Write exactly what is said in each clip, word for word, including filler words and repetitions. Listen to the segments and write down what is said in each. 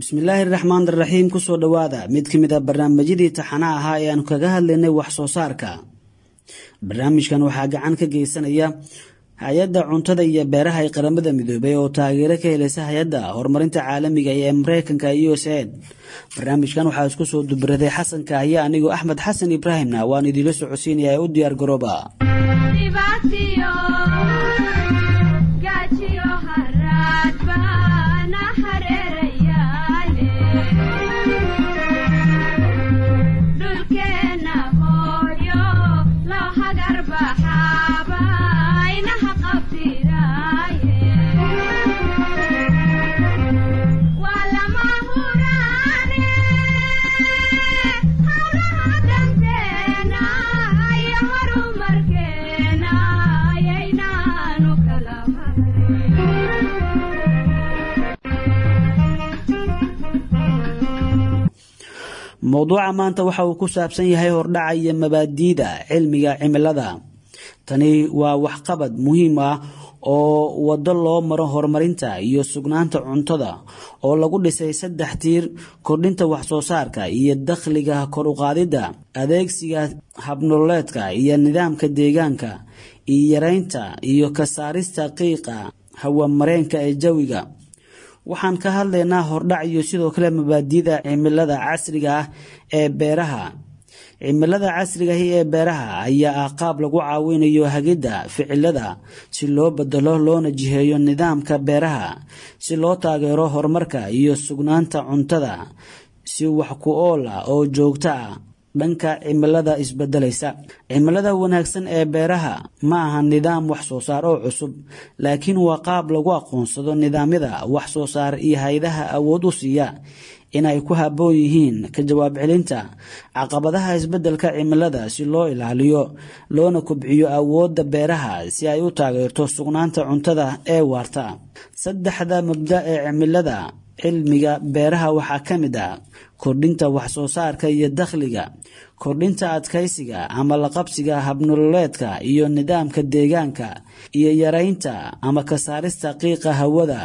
Bismillaahi raxmaan raxiim. Kusoo dhowaada mid ka mid a barnaamijyadii taxanaha ahaa ee aanu kaga hadlaynay wax soo saarka. Barnaamijkan waxaa gacan ka geysanaya Hay-adda Cuntada iyo Beeraha ee Qaramada Midoobay oo taageero ka helaysa Hay-adda Horumarinta Caalamiga ee Mareykanka, U S A I D. Barnaamijkan waxaa isku soo dubaraday Xasan Kaahiye, anigoo Axmed Xasan Ibraahimna waan idiinla socodsiinaya ee u diyaar garooba. Mowduuca maanta waxa uu ku saabsan yahay hordhaca iyo mabaadiida cilmiga cimilada. Tani waa waxqabad muhiim ah oo waddo loo maro horumarinta iyo sugnaanta cuntada oo lagu dhisay saddex tiir: kordhinta wax soo saarka iyo dakhliga, kor u qaadidda adeegsiga habnololeedka iyo nidaamka deegaanka, iyo yareynta iyo ka saarista qiiqa hawamareenka ee jawiga. Waxaan ka hadlaynaa hordhac iyo sidoo kale mabaadiida cimilada casriga ah ee beeraha. Cimilada casriga ahi ee beeraha ayaa ah qaab lagu caawinayo hagidda ficilada si loo bedelo loona jiheeyo nidaamka beeraha, si loo taageero horumarka iyo sugnaanta cuntada si wax ku ool ah oo joogto ah dhanka cimilada isbedelaysa. Cimilada wanaagsan ee beeraha ma aha nidaam wax soo saar oo cusub, laakiin waa qaab lagu aqoonsado nidaamyada wax soo saar iyo hay-adaha awood u siiya inay ku habboon yihiin ka jawaab celinta caqabadaha isbedelka cimilada, si loo ilaaliyo loona kobciyo awoodda beeraha si ay u taageerto sugnaanta cuntada ee waarta. Saddexda mabda ee cimilada cilmiga beeraha waxaa ka mid ah kordhinta wax soo saarka iyo dakhliga, kordhinta adkaysiga ama laqabsiga habnololeedka iyo nidaamka deegaanka, iyo yareynta ama ka saarista qiiqa hawada.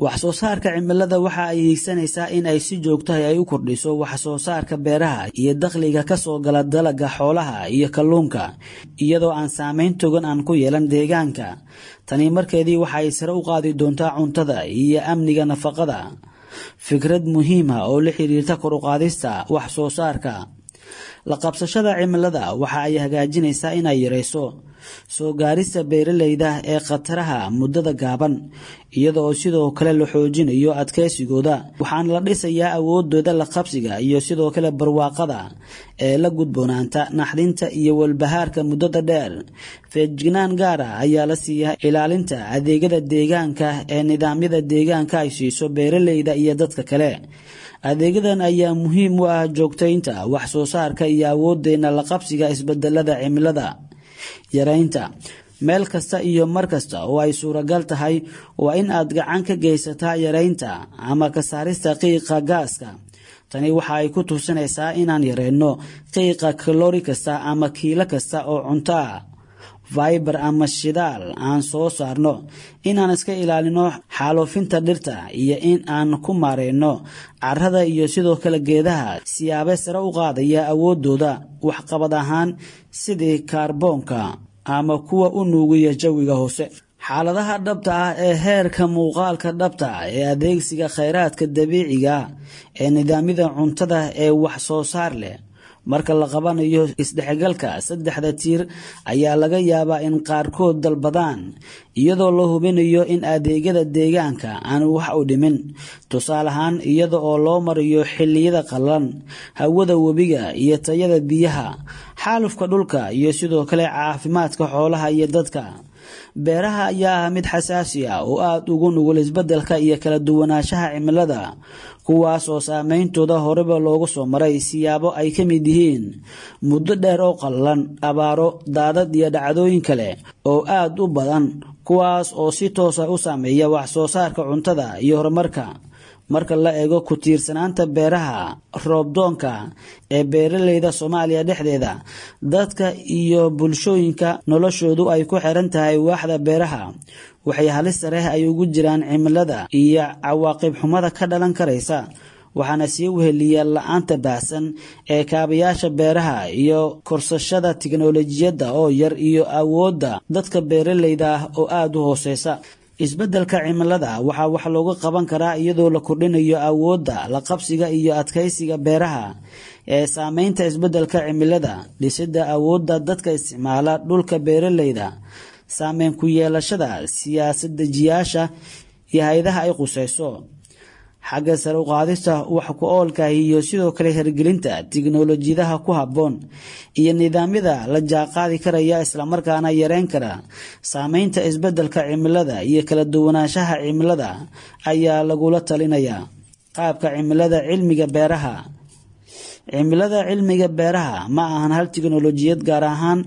Wax soo saarka cimilada waxa ay hiigsanaysaa in ay si joogtahay ay u kordhiso wax soo saarka beeraha iyo dakhliga kasoo gala dalaga, xoolaha iyo kalluunka, iyadoo aan saameyn togan aan ku yeelan deegaanka. Tani markeedii waxa ay sare u qaadi doontaa cuntada iyo amniga nafaqada. Fikrad muhiima oo la xiriirta kor u qaadista wax soo saarka la qabsashada cimilada waxa ay hagaajinaysaa inay yareyso soo gaarista beeralayda ee khataraha muddada gaaban, iyada oo sidoo kale la xoojinayo adkeysigooda. Waxaana la dhisayaa awoodooda la qabsiga iyo sidoo kale barwaaqada ee la gudboonaanta naxdinta iyo walbahaarka muddada dheer. Feejignaan gaar ah ayaa la siiyaa ilaalinta adeegyada deegaanka ee nidaamyada deegaanka ay siiso beeralayda iyo dadka kale. Adeegyadan ayaa muhiim u ah joogtaynta wax soo saarka iyo awoodeena la qabsiga isbedelada cimilada. Yareynta: meel kasta iyo mar kasta oo ay suuragal tahay, waa in aad gacan ka geysataa yareynta ama ka saarista qiiqa gaaska. Tani waxa ay ku tusinaysaa inaan yareyno qiiqa kalori kasta ama kiilo kasta oo cunto ah, fiber ama shidaal aan soo saarno, inaan iska ilaalino xaalufinta dhirta, iyo in aan ku maareyno carrada iyo sidoo kale geedaha siyaabe sare u qaadaya awoodooda waxqabad ahaan, sidii kaarboonka ama kuwa u nuugiya jawiga hoose. Xaaladaha dhabta ah ee heerka muuqaalka dhabta ah ee adeegsiga kheyraadka dabiiciga ee nidaamyada cuntada ee wax soo saar leh marka la qabanayo isdhexgalka saddexda tiir ayaa laga yaabaa in qaarkood dalbadaan, iyadoo la hubinayo in adeegyada deegaanka aan wax u dhimin. Tusaale ahaan, iyada oo loo marayo xilliyada qallalan, hawada webiga iyo tayada biyaha, xaalufka dhulka, iyo sidoo kale caafimaadka xoolaha iyo dadka. Beeraha ayaa ah mid xasaasi ah oo aada ugu nugul isbedelka iyo kala duwanaanshaha cimilada, kuwaas oo saameyntooda horeba loogu soo maray siyaabo ay ka mid yihiin muddo dheer oo qallalan, abaaro, daadad iyo dhacdooyin kale oo aada u badan, kuwaas oo si toosa u saameeya wax soo saarka cuntada iyo horumarka. Marka la eego ku tiirsanaanta beeraha roobdoonka ee beeraleyda Soomaaliya dhexdeeda, dadka iyo bulshooyinka noloshoodu ay ku xiran tahay waaxda beeraha waxay halis sare ay ugu jiraan cimilada iyo cawaaqib xumada ka dhalan karaysa. Waxaana sii weheliya la'aanta baahsan ee kaabayaasha beeraha iyo korsashada tiknoolajiyadda oo yar iyo awoodda dadka beeraleyda ah oo aada u hooseysa. Isbeddelka cimilada waxaa wax looga qaban karaa iyadoo la kordhinayo awoodda la qabsiga iyo adkeysiga beeraha ee saameynta isbeddelka cimilada, dhisidda awoodda dadka isticmaala dhulka beeraleyda, saameyn ku yeelashada siyaasad dejiyaasha iyo hay'adaha ay khuseyso, xagga sare u qaadista wax ku oolka iyo sidoo kale hirgelinta tiknoolajiyadaha ku habboon iyo nidaamyada la jaanqaadi karaya islamarkaana yareyn kara saameynta isbeddelka cimilada iyo kala duwanaanshaha cimilada ayaa lagula talinayaa. Qaabka cimilada cilmiga beeraha. Cimilada cilmiga beeraha ma ahan hal tiknoolajiyad, gaar ahaan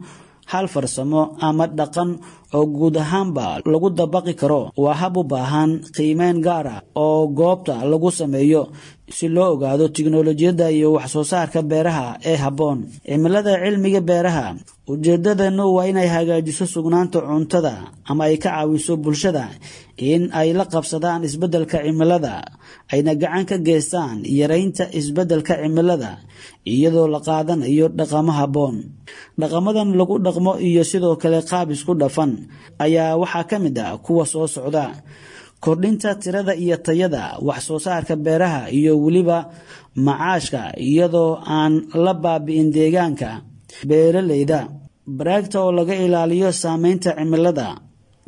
hal farsamo ama dhaqan oo guud ahaanba lagu dabaqi karo. Waa hab u baahan qiimeyn gaar ah oo goobta lagu sameeyo si loo ogaado tiknoolajiyadda iyo wax soo saarka beeraha ee habboon. Cimilada cilmiga beeraha ujeedadeenu waa inay hagaajiso sugnaanta cuntada ama ay ka caawiso bulshada in ay la qabsadaan isbeddelka cimilada, ayna gacan ka geystaan yareynta isbeddelka cimilada iyadoo la qaadanayo dhaqamo habboon. Dhaqamadan lagu dhaqmo iyo sidoo kale qaab isku dhafan ayaa waxaa ka mid ah kuwa soo socda: kordhinta tirada iyo tayada wax soo saarka beeraha iyo weliba macaashka iyadoo aan la baabi'in deegaanka beeraleyda, baraagta oo laga ilaaliyo saameynta cimilada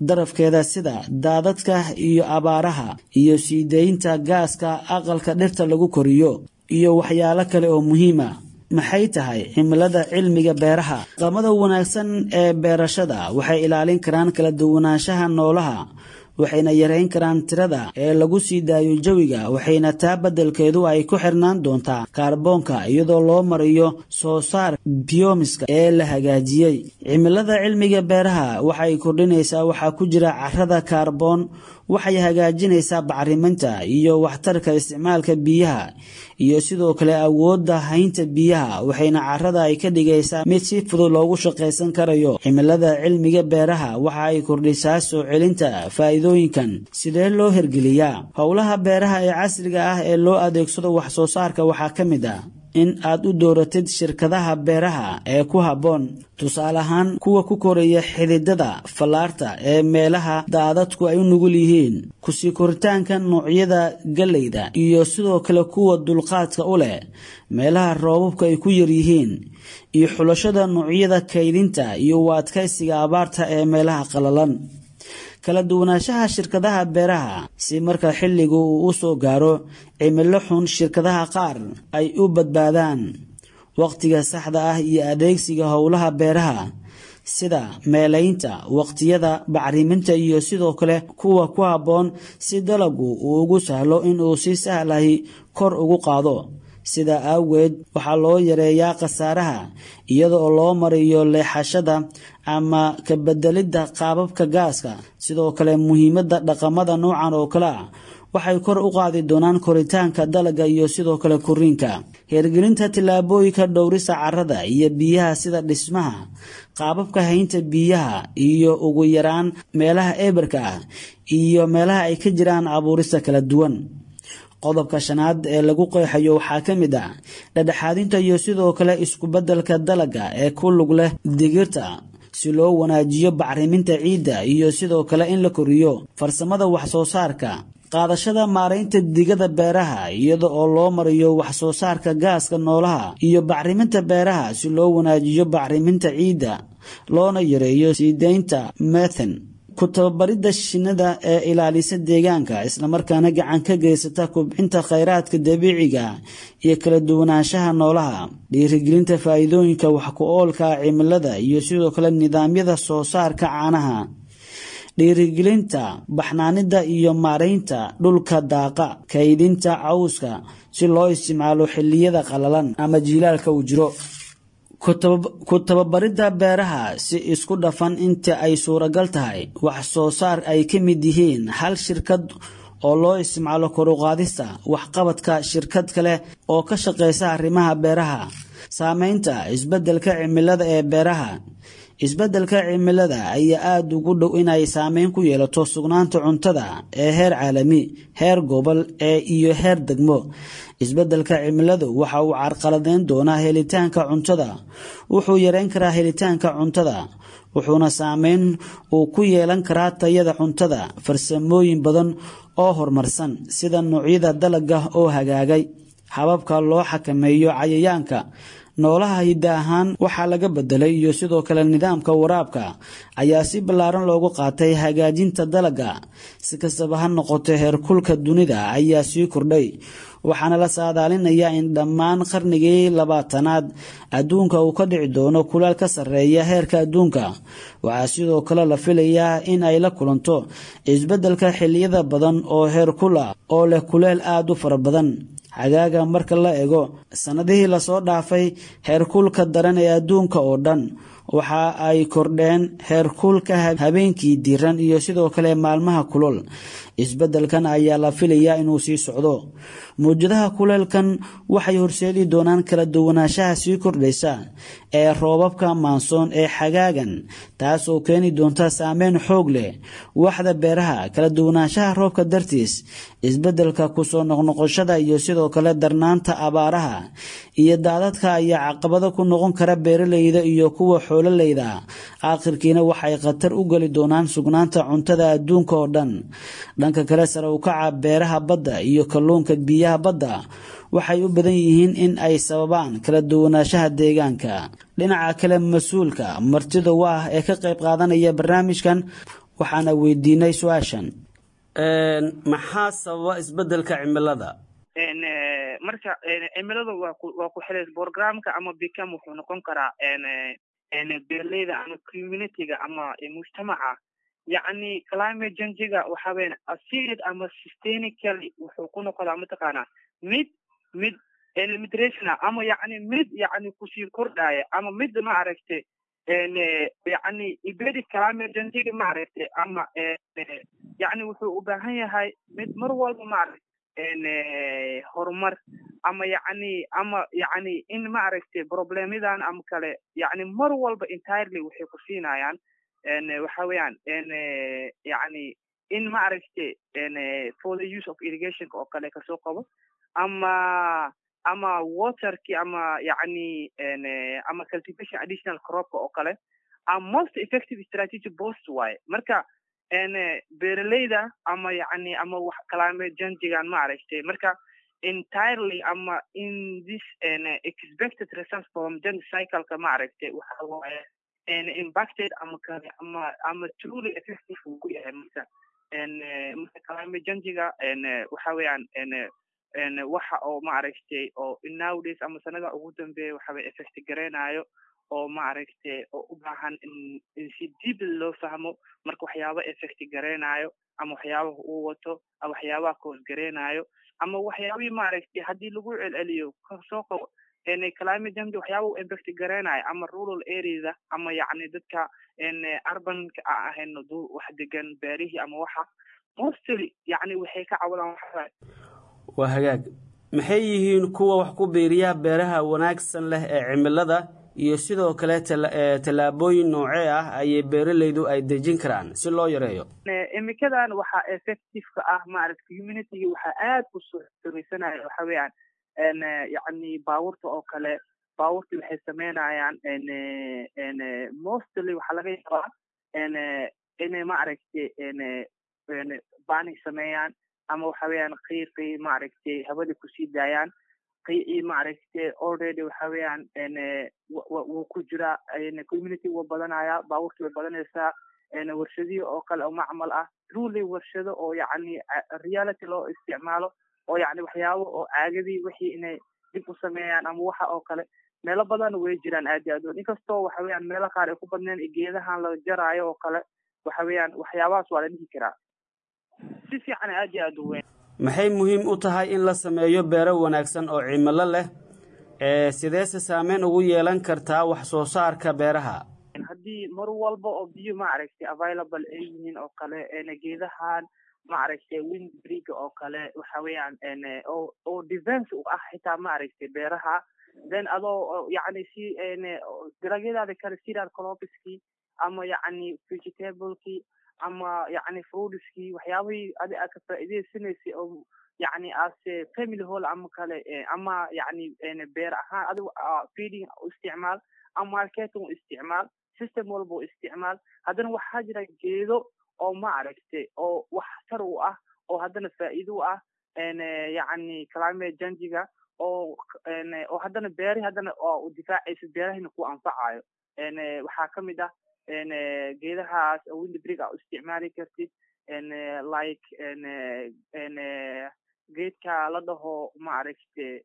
darafkeeda sida daadadka iyo abaaraha, iyo sii deynta gaaska aqalka dhirta lagu koriyo iyo waxyaalo kale oo muhiim ah. Maxay tahay cimilada cilmiga beeraha? Dhaqamada wanaagsan ee beerashada waxay ilaalin karaan kala duwanaanshaha noolaha, waxayna yareyn karaan tirada ee lagu sii daayo jawiga, waxayna taa beddelkeedu ay ku xirnaan doontaa kaarboonka iyadoo loo mariyo soo saar biyoomiska ee la hagaajiyey. Cimilada cilmiga beeraha waxay kordhinaysaa waxaa ku jira carrada kaarboon, waxay hagaajinaysaa bacriminta iyo waxtarka isticmaalka biyaha iyo sidoo kale awoodda haynta biyaha, waxayna carrada ay ka dhigaysaa mid si fudud loogu shaqaysan karayo. Cimilada cilmiga beeraha waxa ay kordhisaa soo celinta faa'iidooyinkan. Sidee loo hirgeliyaa howlaha beeraha ee casriga ah ee loo adeegsado wax soo saarka? Waxaa ka mid ah in aad u dooratid shirkadaha beeraha ee ku habboon, tusaale ahaan kuwa ku koraya xididada fallaarta ee meelaha daadadku ay u nugul yihiin, kusii koritaanka noocyada galleyda iyo sidoo kale kuwa dulqaadka u leh meelaha roobabku ay ku yar yihiin, iyo xulashada noocyada kaydinta iyo u adkaysiga abaarta ee meelaha qalalan. Kala duwanaanshaha shirkadaha beeraha si marka xilligu uu u soo gaaro cimilo xun shirkadaha qaar ay u badbaadaan. Waqtiga saxda ah iyo adeegsiga howlaha beeraha sida meelaynta waqtiyada bacriminta iyo sidoo kale kuwa ku habboon si dalaggu uu ugu sahlo inuu si sahlahi kor ugu qaado. Sidaa awgeed waxaa loo yareeyaa khasaaraha iyadoo loo mariyo leexashada ama ka bedelidda qaababka gaaska. Sidoo kale muhiimadda dhaqamada noocan oo kale ah waxay kor u qaadi doonaan koritaanka dalagga iyo sidoo kale korriinka. Hirgelinta tillaabooyinka dhowrista carrada iyo biyaha sida dhismaha qaababka haynta biyaha iyo ugu yaraan meelaha eberka ah iyo meelaha ay ka jiraan abuurista kala duwan. Qodobka shanaad ee lagu qeexayo waxaa ka mid ah dhexdhexaadinta iyo sidoo kale isku beddelka dalagga ee ku lug leh digirta si loo wanaajiyo bacriminta ciidda iyo sidoo kale in la koriyo farsamada wax soo saarka. Qaadashada maaraynta digada beeraha iyada oo loo mariyo wax soo saarka gaaska noolaha iyo bacriminta beeraha si loo wanaajiyo bacriminta ciidda loona yareeyo sii deynta methane. Ku tababaridda shinnida ee ilaalisa deegaanka islamarkaana gacan ka geysata kobcinta kheyraadka dabiiciga iyo kala duwanaanshaha noolaha. Dhiirigelinta faa'iidooyinka wax ku oolka cimilada iyo sidoo kale nidaamyada soo saarka caanaha. Dhiirigelinta baxnaanida iyo maaraynta dhulka daaqa, kaydinta cawska si loo isticmaalo xilliyada qalalan ama jiilaalka uu jiro. Ku tababaridda beeraha si isku dhafan inta ay suuragal tahay wax soo saar ay ka mid yihiin hal shirkad oo loo isticmaalo kor u qaadista waxqabadka shirkad kale oo ka shaqeysa arrimaha beeraha. Saameynta isbeddelka cimilada ee beeraha. Isbeddelka cimilada ayaa aada ugu dhow inay saameyn ku yeelato sugnaanta cuntada ee heer caalami, heer gobol ee iyo heer degmo. Isbeddelka cimiladu waxa uu carqaladeyn doonaa helitaanka cuntada, wuxuu yareyn karaa helitaanka cuntada, wuxuuna saameyn uu ku yeelan karaa tayada cuntada. Farsamooyin badan oo horumarsan sida noocyada dalagga oo hagaagay, hababka loo xakameeyo cayayaanka, noolaha hidda ahaan waxaa laga bedelay iyo sidoo kale nidaamka waraabka ayaa si ballaaran loogu qaatay hagaajinta dalagga. Si kastaba ha noqotee, heerkulka dunida ayaa sii kordhay, waxaana la saadaalinayaa in dhammaan qarnigii labaatanaad adduunka uu ka dhici doono kulaal ka sarreeya heerka adduunka. Waxaa sidoo kale la filayaa in ay la kulanto isbeddelka xilliyada badan oo heerkul ah oo leh kuleel aada u fara badan xagaaga. Marka la eego sanadihii lasoo dhaafay, heerkulka daran ee adduunka oo dhan waxa ay kordheen heerkulka habeenkii diiran iyo sidoo kale maalmaha kulul. Isbeddelkan ayaa la filayaa inuu sii socdo. Mawjadaha kuleelkan waxay horseedi doonaan kala duwanaanshaha sii kordhaysa ee roobabka maansoon ee xagaagan, taasoo keeni doonta saameyn xoog leh waxda beeraha. Kala duwanaanshaha roobka dartiis, isbeddelka kusoo noqnoqoshada iyo sidoo kale darnaanta abaaraha iyo daadadka ayaa caqabado ku noqon kara beeraleyda iyo kuwa xoololeyda. Aakhirkiina waxay khatar u geli doonaan sugnaanta cuntada adduunka oo dhan. Dhanka kale, sare u kaca beeraha badda iyo kalluunka biyaha badda waxay u badan yihiin in ay sababaan kala duwanaanshaha deegaanka. Dhinaca kale, mas-uulka martida waa ee ka qayb qaadanaya barnaamijkan waxaana weydiinay su-aashan: maxaa sababa isbeddelka cimilada? Marka cimilada waa ku waa ku xiray programka ama bicam wuxuu noqon karaa beeraleyda ama communityga ama mujtamaca. Yacni climate change-ga waxa weyan acid ama systemically wuxuu ku noqdaa mataqaanaa mid mid migration ama yacni mid yacni kusii kordhaya ama mid ma aragtay yacni embedded climate change-ga ma aragtay ama yacni wuxuu u baahan yahay mid mar walba ma aragtay horumar ama yacni ama yacni in ma aragtay problemyadan ama kale yacni mar walba entirely waxay ku siinayaan waxa weeyaan yacni in ma aragtay for the use of irrigationka oo kale kasoo qabo ama ama waterki ama yacni ama cultivation additional cropka oo kale ama most effective strategy post waaye. Marka beeraleyda ama yacni ama wax climate change-gan ma aragtay marka entirely ama in this expected results from change cycle-ka ma aragtay waxa waaye impacted ama kale ama ama truly effective uu ku yahay. Marka marka climate change-ga waxa weeyaan waxa oo ma aragtay oo nowadays ama sanada ugu dambeeya waxa way effect gareynayo oo ma aragtay oo u baahan in in si deep loo fahmo. Marka waxyaaba effect gareynayo ama waxyaabaha uu wato ama waxyaabaha cause gareynayo ama waxyaabihii ma aragtay haddii lagu celceliyo kasoo qabo climate change waxyaaba uu impact gareynayo ama rural areada ama yacni dadka urbanka aan ahayn wax degan beerihii ama waxa mostly yacni waxay ka cawadaan waxa. Waa hagaag. Maxay yihiin kuwa wax ku biiriya beeraha wanaagsan leh ee cimilada, iyo sidoo kale tallaabooyin noocee ah ayay beeralaydu ay dejin karaan si loo yareeyo? Imikadan waxaa effective-ka ah maaragta community waxaa aad u soo xoreysanaya waxa weeyaan yacni baabuurta oo kale. Baabuurta waxay sameynayaan mostly waxaa laga yaabaa inay ma aragtay bani sameeyaan ama waxa weeyaan qiiqii ma aragtay hawada kusii daayaan. Qiicii ma aragtay already waxa weeyaan wuu ku jiraa community, wuu badanaya, baabuurtii way badanaysaa, warshadihii oo kale oo macmal ah, truly warshado oo yacni reality loo isticmaalo oo yacni waxyaabo oo caagadii wixii inay dib u sameeyaan ama waxa oo kale meelo badan way jiraan aad iyo aad. Inkastoo waxa weeyaan meelo qaar ay ku badneen geedahan la jaraayo oo kale, waxa weeyaan waxyaabahaas waa la dhihi karaa si fiican aad iyo aad u weyn. Maxay muhiim u tahay in la sameeyo beero wanaagsan oo cimilo leh? Ee sideese saameyn ugu yeelan kartaa wax soo saarka beeraha? Haddii mar walba oo biyo ma aragtay available ay yihiin oo kale geedahan Maaragtay, windbreak oo kale waxa weeyaan oo oo defense u ah xitaa, maaragtay, beeraha. Then adoo yacni si dalagyadaada kale, cereal cropskii ama yacni vegetablekii ama yacni fruitskii, waxyaabihii adi aad ka faa'iidaysanaysay oo yacni as family hall ama kale ama yacni beer ahaan adigu feeding u isticmaal ama marketing u isticmaal, system walba u isticmaal. Haddana waxaa jira geedo oo, maaragtay, oo waxtar u ah oo haddana faa'iido u ah yacni climate change-ga oo oo haddana beerihi haddana oo u difaacaysa, beerahina ku anfacayo. Waxaa kamid ah geedahaas oo windbreak aa u isticmaali kartid, like geedka la dhaho, maaragte,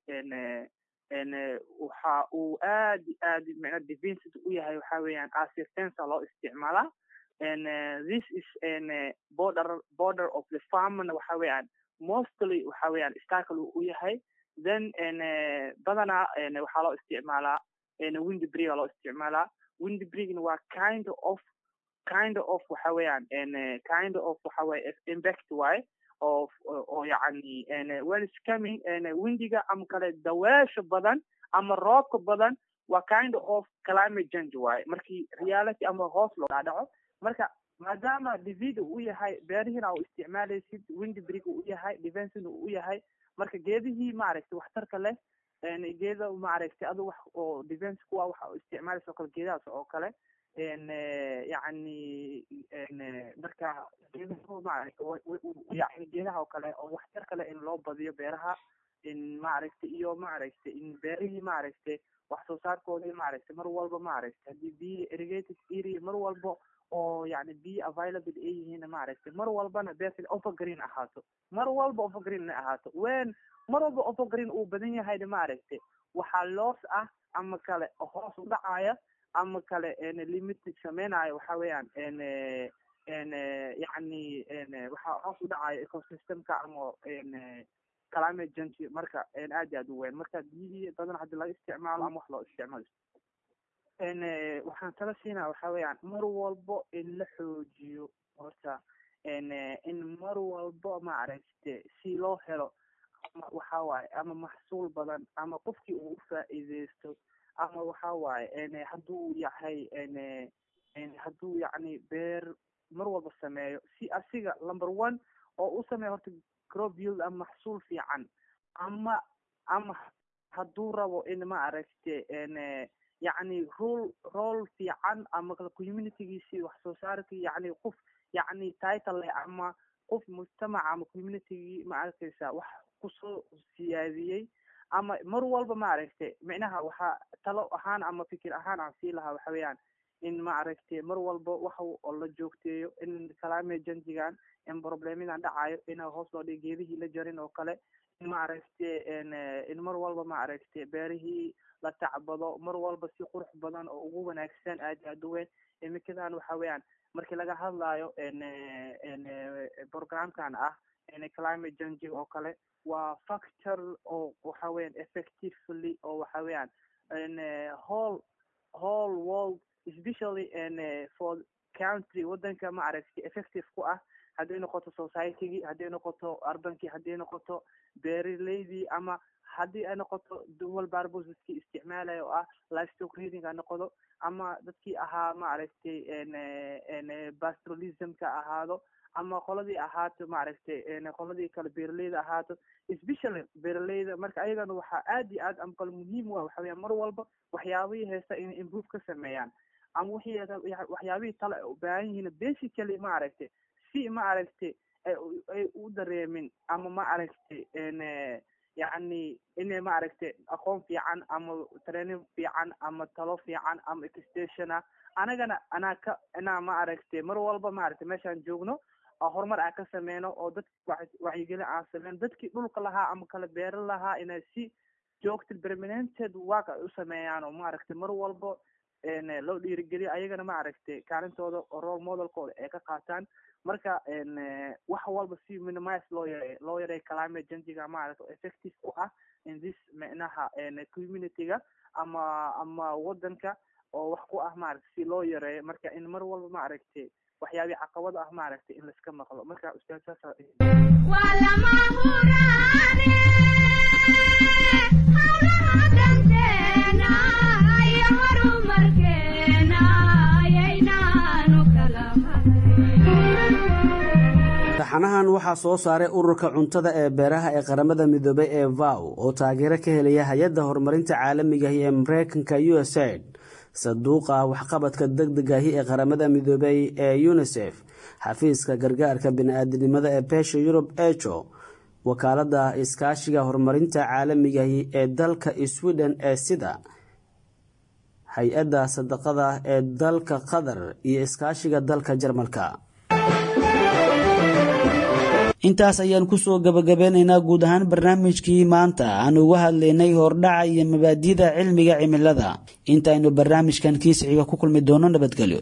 waxa uu aad aad micna defensive u yahay, waxa weeyaan as fence loo isticmaalaa. This is border border of the farmna, waxa weeyaan mostly waxa weeyaan obstacle u yahay. Then badanaa waxaa loo isticmaalaa windbreak loo isticmaalaa. Windbreakna waa kind of kind of waxa weeyaan kind of waxa weeye impact waaye of oo yacni when it's coming windiga ama kale daweesha badan ama roobka badan, waa kind of climate change waaye markii reality ama hoos loo dhaadhaco. Marka maadaama divid uu yahay, beerihiina u isticmaalaysid, windbreak uu yahay, defensina uu yahay, marka geedihii, maaragtay, waxtarka leh, geeda, maaragtay, adu wax oo defense kuwa waxa u isticmaalaysa oo kale, geedahaas oo kale yacni marka geedaha, maaragtay, yacni geedaha oo kale oo waxtar kale in loo badiyo beeraha, in, maaragtay, iyo, maaragtay, in beerihii, maaragtay, wax soo saarkoodii, maaragtay, mar walba, maaragtay, haddii biyo irrigated area mar walba oo yacni biyo available ay yihiin, maaragtay, mar walbana beerta evergreen ahaato, mar walba evergreen inay ahaato. When mar walba evergreen uu badan yahayna, maaragtay, waxaa loos ah ama kale hoos u dhacaya ama kale limited sameynayo, waxa weeyaan yacni waxaa hoos u dhacaya ecosystemka ama climate change. Marka aad iyo aad u weyn, marka biyihii badan hadii laga isticmaalo ama wax loo isticmaalo, waxaan tala siinaa waxa weeyaan mar walbo in la xoojiyo horta, in mar walbo, maaragte, si loo helo ama waxa waaye ama maxsuul badan ama qofkii uu u faa'iideysto ama waxa waaye hadduu yahay hadduu yacni beer mar walba sameeyo, si asiga number one oo u sameeyo horta crop yield ama maxsuul fiican, ama ama hadduu rabo in, maaragte, yacni role role fiican ama communitygiisii wax soo saarkii, yacni qof yacni title leh ama qof mujtamaca ama communitygii, ma arkaysa, wax kusoo siyaadiyey ama mar walba, maaragtay, micnaha waxaa talo ahaan ama fikir ahaan aan sii lahaa waxa weeyaan in, maaragtay, mar walba waxa oo la joogteeyo in climate change-gan, in problemadan dhacayo in hoos loo dhigo, geedihii la jarin oo kale, in, maaragtay, in mar walba, maaragtay, beerihii la tacbado mar walba si qurux badan oo ugu wanaagsan aad aad u weyn. Iminkadan waxa weeyaan markii laga hadlayo programkan ah climate change oo kale, waa factor oo waxa weeyaan effectively oo waxa weeyaan whole whole world, especially for country, wadanka, maaragtay, effective ku ah, hadday noqoto society-gii, hadday noqoto urbankii, hadday noqoto beeraleydii ama haddii ay noqoto dual purpose dadkii isticmaalaya oo ah livestock rearing ha noqdo ama dadkii ahaa, maaragtay, pastoralismka ahaado ama qoladii ahaato, maaragtay, qoladii kale beeraleyda ahaato, especially beeraleyda. Marka ayagana waxaa aad iyo aad ama kale muhiim u ah waxa weya mar walba waxyaabihii haysta inay improve ka sameeyaan ama wixii waxyaabihii tale ay u baahan yihiin basically, maaragtay, si, maaragtay, ay ay u dareemin ama, maaragtay, yacni inay, maaragtay, aqoon fiican ama training fiican ama talo fiican ama extensiona anagana anaa ka inaa, maaragtay, mar walba, maaragtay, meeshaan joogno horumar aan ka sameyno oo dadki wacyigelin aan sameyno, dadkii dhulka lahaa ama kala beeran lahaa inay si joogta permanented work ay u sameeyaan oo, maaragtay, mar walba loo dhiirigeliyo ayagana, maaragtay, kaalintooda oo role modelkooda ay ka qaataan. Marka wax walba si minimize loo yareeyo loo yareeyo climate change-ga, maaragta, effective ku ah in this micnaha community-ga ama ama wadanka oo wax ku ah, maaragtay, si loo yareeyo. Marka in mar walba, maaragtay, Waxyaabihii caqabada ah, maaragtay, in laiska maqlo. Marka ustaad, saasa. Waa lama huraane hawlaha danteena iyo horumarkeena ayaynaanu kala Taxanahan waxaa soo saaray Ururka Cuntada ee Beeraha ee Qaramada Midoobay ee F A O, oo taageero ka helaya Hay-adda Horumarinta Caalamigahi ee Mareykanka U S AID, Sanduuqa Waxqabadka Degdegahi ee Qaramada Midoobay ee UNICEF, Xafiiska Gargaarka Bini-aadinimada ee Beesha Yurub ECHO, Wakaalada Iskaashiga Horumarinta Caalamigahi ee dalka Sweden ee SIDA, Hay-adda Sadaqada ee dalka Qatar iyo iskaashiga dalka Jarmalka. Intaas ayaan kusoo gabagabeynaynaa guud ahaan barnaamijkii maanta aan uga hadlaynay hordhaca iyo mabaadi'da cilmiga cimilada. Intaaynu barnaamijkan kiisxiga ku kulmi doono, nabadgelyo.